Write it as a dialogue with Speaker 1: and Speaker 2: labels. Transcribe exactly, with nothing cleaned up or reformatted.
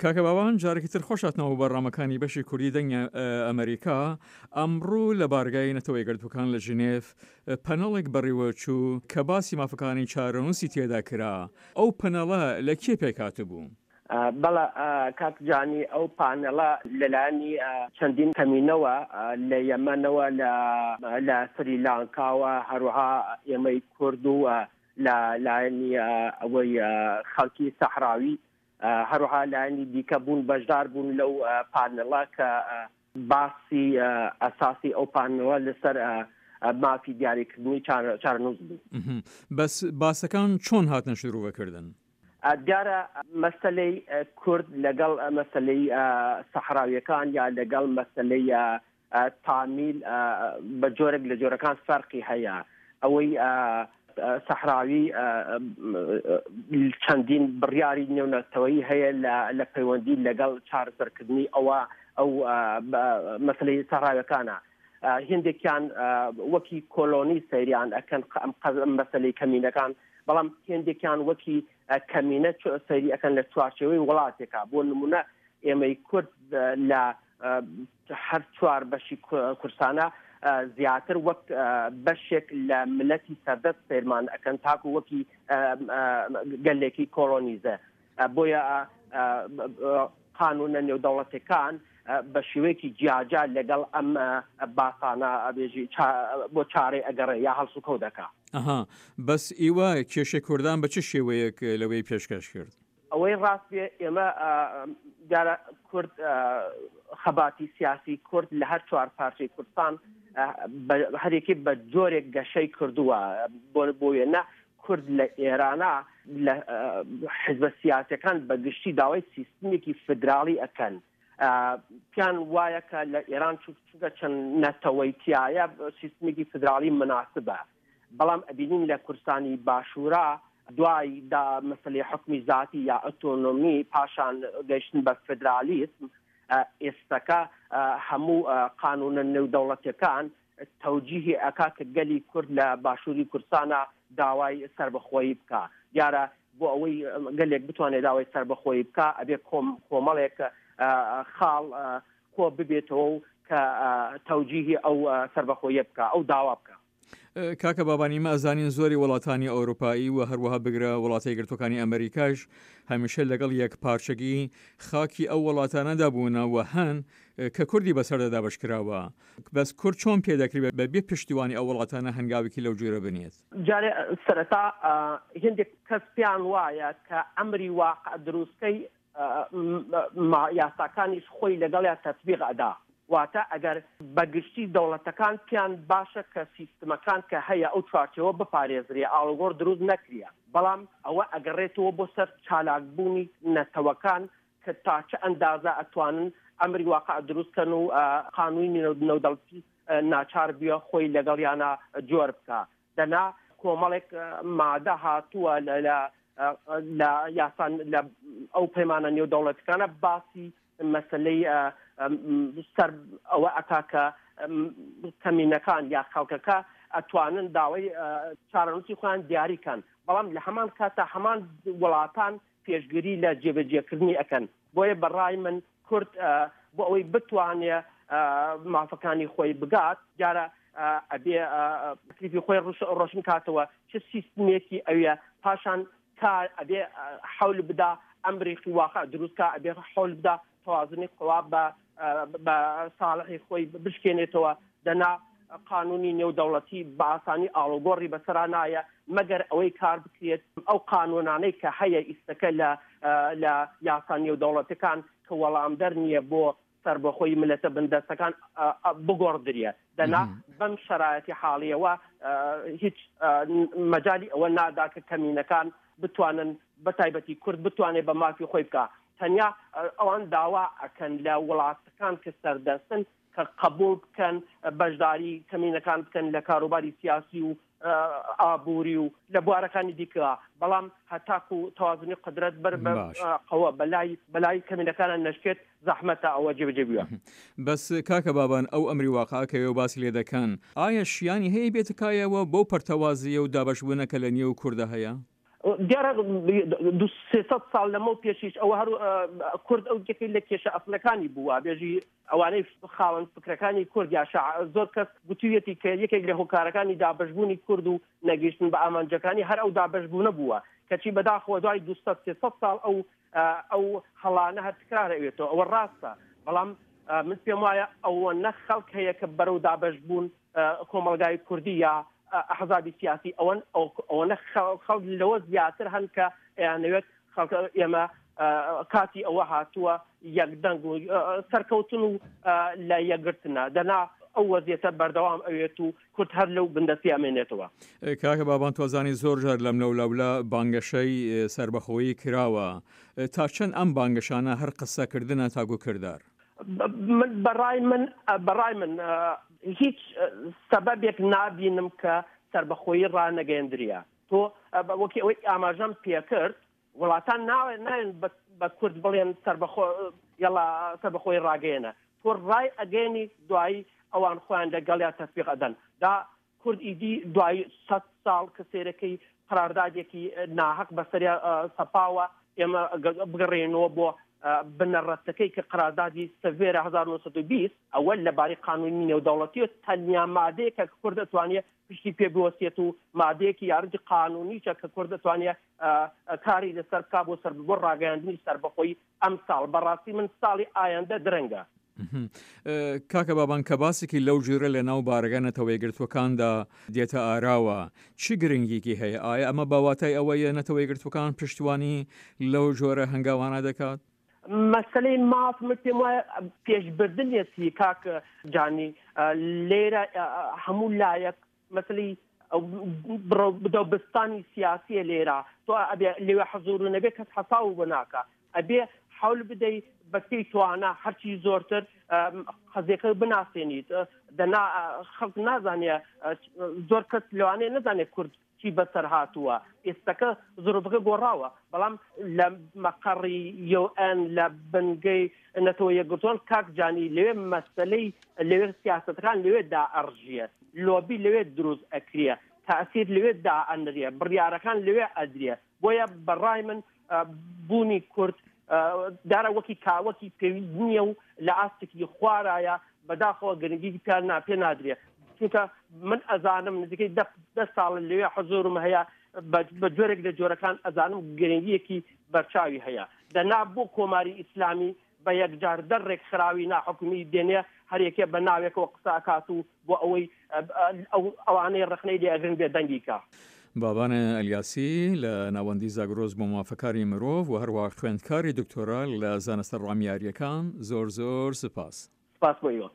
Speaker 1: کاکە باوان جارێکی تر خۆش هاتنەوە بۆ بەرنامەکانی بەشی کوردی دەنگی ئەمریکا. ئەمڕۆ لە بارگای نەتەوە یەکگرتووەکان لە ژنێف پەنەڵێک بەڕێوەچوو کە باسی مافەکانی چارەنووسی تێدا کرا. ئەو پەنەڵە لە کێ پێکهاتبوو؟
Speaker 2: بەڵێ کاک جانی، ئەو پانێڵە لەلایەنی چەندین کەمینەوە لە یەمەنەوە، لە سریلانکاوە، هەروەها ئێمەی کورد و لە لایەنی ئەوەی خەڵکی سەحراوی، هەروەها لایەنی دیکە بوون، بەشدار بوون لەو پانێڵە کە باسی ئەساسی ئەو پانێڵە لەسەر مافی دیاریکردنی چارەنووس بوو.
Speaker 1: بەس باسەکان چۆن هاتنە شروڤەکردن؟
Speaker 2: دیارە مەسەلەی کورد لەگەڵ مەسەلەی سەحراویەکان یا لەگەڵ مەسەلەی تامیل بە جۆرێک لە جۆرەکان فەرقی هەیە. ئەوەی سەحراوی چەندین بڕیاری نێونەتەوەیی هەیە لە پەیوەندی لەگەڵ چارەسەرکردنی ئەوە ئەو مەسلەی سەحراویەکانە. هندێکیان وەکی کۆلۆنی سەیریان ئەکەن مەسلەی کەمینەکان، بەڵام هندێکیان وەکی کەمینە سەیری ئەکەن لە چوارچێوەی وڵاتێکا. بۆ نمونە ئێمەی کورد لە هەر چوار بەشی کورسانە زیاتر وەک بەشێک لە ملەتی سەردەست سەیرمان ئەکەن تاکو وەکی گەلێکی کۆلۆنیزە. بۆیە قانونە نێودەوڵەتەکان بە شێوەیەکی جیاجا لەگەڵ ئەم باسانە ئەبێژی بۆ چارەی ئەگەڕێ یا هەڵسوکەوت دەکا.
Speaker 1: ئەها، بەس ئیوە کێشەی کوردان بە چ شێوەیەک لەوەی پێشکەش کرد؟
Speaker 2: ئەوەی ڕاست بێ ئێمە دیارە کورد خەباتی سیاسی کورد لە هەر چوار پارچەی کوردستان هەرێکی بە جۆرێک گەشەی کردووە. بۆ وێنە کورد لە ئێرانە لە حزبە سیاسەکان بە گشتی داوای سیستمێکی فدراڵی ئەکەن. پیان وایە کە لە ئێران چونکە چەند نەتەوەی تایە سیستمێکی فدراڵی مناسبە، بەڵام ئەبینین لە کوردستانی باشوورا دوای دا مەسلەی حکمی ذاتی یا ئۆتۆنۆمی پاشان گەیشتن بە فدرالیسم، ئێستەکە هەموو قانونە نێودەوڵەتەکان تەوجیهی ئەکا کە گەلی کورد لە باشووری کوردستانە داوای سربەخۆیی بکا. دیارە بۆ ئەوەی گەلێک بتوانێت داوای سربەخۆیی بکا ئەبێ کۆمەڵێک خاڵ کۆ ببێتەوە و کە تەوجیهی ئەو سربەخۆیە بکا، ئەو داوا بکا.
Speaker 1: کاکە بابانی، ئێمە ئەزانین زۆری وڵاتانی ئەوروپایی و هەروەها بگرە وڵاتە یەکگرتووەکانی ئەمریکاش هەمیشە لەگەڵ یەک پارچەگی خاکی ئەو وڵاتانەدا بوونە و هەن کە کوردی بەسەردا دابەشکراوە. بەس کورد چۆن پێ دەکرێت بە بێ پشتیوانی ئەو وڵاتانە هەنگاوێکی لەو جۆرە بنێت؟
Speaker 2: جارێ سەرەتا هندێک کەس پێیان وایە کە ئەمری واقع دروستکەی یاساکانیش خۆی لەگەڵیا تەطبیق ئەدا. واتە ئەگەر بەگشتی دەوڵەتەکان پیان باشە کە سیستمەکان کە هەیە ئەو چوارچێوە بپارێزرێ، ئاڵوگۆڕ دروست نەکرێ، بەڵام ئەوە ئەگەڕێتەوە بۆ سەر چالاکبوونی نەتەوەکان کە تا چه ئەندازە ئەتوانن ئەمری واقع دروستکەن و قانونی نێودەوڵەتی ناچار بیە خۆی لەگەڵیانە جۆر بکە. دەنا کۆمەڵێک مادە هاتووە لە یاسان لە ئەو پەیمانە نێودەوڵەتەکانە باسی مەسلەی سەر ئەوە ئەکا کە کەمینەکان یا خەڵکەکە ئەتوانن داوای چارەنووسی خۆیان دیاریکەن، بەڵام لە هەمان کاتە هەمان وڵاتان پێشگیری لە جێبەجێکردنی ئەکەن. بۆیە بەڕای من کورد بۆ ئەوەی بتوانێ مافەکانی خۆی بگات، دیارە ئەبێ تەکلیفی خۆی ڕۆشن کاتەوە چ سیستمێکی ئەوێ، پاشان کار ئەبێ حەول بدا ئەمریکی واقع دروستکە، ئەبێ حەول بدا توازنی قوا بە ساڵحی خۆی بشکێنێتەوە. دەنا قانونی نێودەوڵەتی بە ئاسانی ئاڵوگۆڕی بەسەرا نایە، مەگەر ئەوەی کار بکرێت ئەو قانونانەی کە هەیە ئیستەکە لە یاسا نێودەوڵەتەکان کە وەڵامدەر نییە بۆ سربەخۆی ملەتە بندەستەکان بگۆڕدرێ. دەنا بەم شرایەتی حاڵیەوە هیچ مەجای ئەوە نادا کە کەمینەکان بتوانن بە تایبەتی کورد بتوانێت بە مافی خۆی بکە. تەنیا ئەوان داوا ئەکەن لە وڵاتەکان کە سەردەستن کە قبول بکەن بەشداری کەمینەکان بکەن لە کاروباری سیاسی و ئابووری و لە بوارەکانی دیکە، بەڵام هەتاکو تەوازنی قدرەت بەر قەوە بەلای بەلای کەمینەکانە نەشکێت زەحمەتە ئەوە جێبەجێ بووە.
Speaker 1: بەس کاکە بابان، ئەو ئەمری واقع کە ئێوە باسی لێ دەکەن ئایا شیانی هەیە بێتە کایەوە بەو پەرتەوازیە و دابەشبوونە کە لە نێو کوردە هەیە؟
Speaker 2: دیارە دوو سێ سەد ساڵ لەمەو پێشیش ئەوە هەر کورد ئەو یەکێک لە کێشە ئەسڵەکانی بووە. بێژی ئەوانەی خاوەن فکرەکانی کورد یا زۆر کەس گوتوویەتی کە یەکێک لە هۆکارەکانی دابەشبوونی کورد و نەگەیشتن بە ئامانجەکانی هەر ئەو دابەشبوونە بووە، کەچی بەداخەوە دوای دوو سەد سێ سەد ساڵ ئەو ئەو هەڵانە هەر تکرار ئەوێتەوە. ئەوە ڕاستە، بەڵام من پێم وایە ئەوە نە خەڵک هەیە کە بەرەو دابەشبوون کۆمەڵگای کوردی یا ئەحزابی سیاسی ئەوەن ئەوەنە خەڵک لەوە زیاتر هەن کە ئەیانەوێت خەڵک ئێمە کاتی ئەوە هاتووە یەکدەنگ و سەرکەوتن و لە یەکگرتنە، دەنا ئەو وەزیەتە بەردەوام ئەوێت و کورد هەر لەو بندەستی ئەمێنێتەوە.
Speaker 1: کاکە بابان تۆزانی زۆر جار لەم لەولاولا بانگەشەی سربەخۆیی کراوە، تا چەند ئەم بانگەشانە هەر قسەکردنە تاگو کردار؟
Speaker 2: من بەڕای من بەڕای من هیچ سەبەبێک نابینم کە سربەخۆیی ڕانەگەیەندریا. تۆ وەکی ئەوەی ئاماژەم پێکرد وڵاتان ناوێن بە کورد بڵێن سربەخۆ یاڵا سربەخۆی ڕاگەیەنە، تۆ ڕای ئەگەیەنی دوایی ئەوان خۆیان لەگەڵیا تەسبیق ئەدەن. دا کورد ئیدی دوای سەد ساڵ کە سێرەکەی قراردادێکی ناهەق بەسەریا سەپاوە، ئێمە بگەڕێنەوە بۆ بنەڕەتەکەی کە قراردادی سەڤێرە هەزار و نۆ سەد و بیست، ئەوە لەبارەی قانونی نێودەوڵەتیە تەنیا مادەیە کە کورد دەتوانێت پشتی پێ بوەستێت و مادەیەکی یارجی قانونیشە کە کورد دەتوانێت کاری لەسەر بکا بۆ سەر بۆ ڕاگەیاندنی سەربەخۆی ئەم ساڵ. بەڕاستی من ساڵی ئایندە درەنگە.
Speaker 1: کاکە بابان کە باسێکی لەو جۆرە لە ناو بارەگە نەتەوەیەکگرتووەکاندا دێتە ئاراوە چی گرنگیکی هەیە؟ ئایا ئەمە باواتای ئەوەیە نەتەوەیەکگرتووەکان پشتیوانی لەو جۆرە هەنگاوانە دەکات؟
Speaker 2: مەسلەی ماف من پێم وایە پێشبردنیەتی کاک جانی. لێرە هەموو لایەک مەسلەی بدەوبستانی سیاسیە لێرە تۆ ئەبێ لێوێ حەزور و نەبێ کەس حەساو بۆ ناکا، ئەبێ حەول بدەی بەپێی توانا هەرچی زۆرتر قەزیەکە بناسێنیت. دەنا خەڵک نازانێ، زۆر کەس لەوانەیە نەزانێت کورد چی بەسەر هاتووە، ئێستاکە زروفەکە گۆڕاوە، بەڵام لە مەقەڕی یوئەن لە بنگەی نەتەوە یەکگرتووان کاک جانی لەوێ مەسەلەی لەوێ سیاسەتەکان لەوێ دائەڕژیە، لۆبی لەوێ دروست ئەکرێ، تەئسیر لەوێ دائەنرێ، بڕیارەکان لەوێ ئەدرێ. بۆیە بەڕای من بوونی کورد دارە وەکی کاوەکی پێویست نییە و لە ئاستێکی خوارایە بەداخەوە گرنگی پێ نادرێ. چونکە من ئەزانم نزیکەی دە ساڵ لەوێ حەزورم هەیە، بە جۆرێک لە جۆرەکان ئەزانم گرنگیەکی بەرچاوی هەیە. دەنا بۆ کۆماری ئیسلامی بە یەکجار دەر ڕێکخراوی ناحکومی دێنێ هەرێکێ بە ناوێکەوە قسە ئەکات و بۆ ئەوەی ئەوانەی ڕەخنەی لێ ئەگرن بێدەنگی کا.
Speaker 1: بابان ئەلیاسی لە ناوەندی زاگرۆس بۆ مافەکاری مرۆڤ و هەروە خوێندکاری دکتۆرا لە زانستە ڕامیاریەکان، زۆر زۆر سپاس.
Speaker 2: سپاس بۆ ئێوە.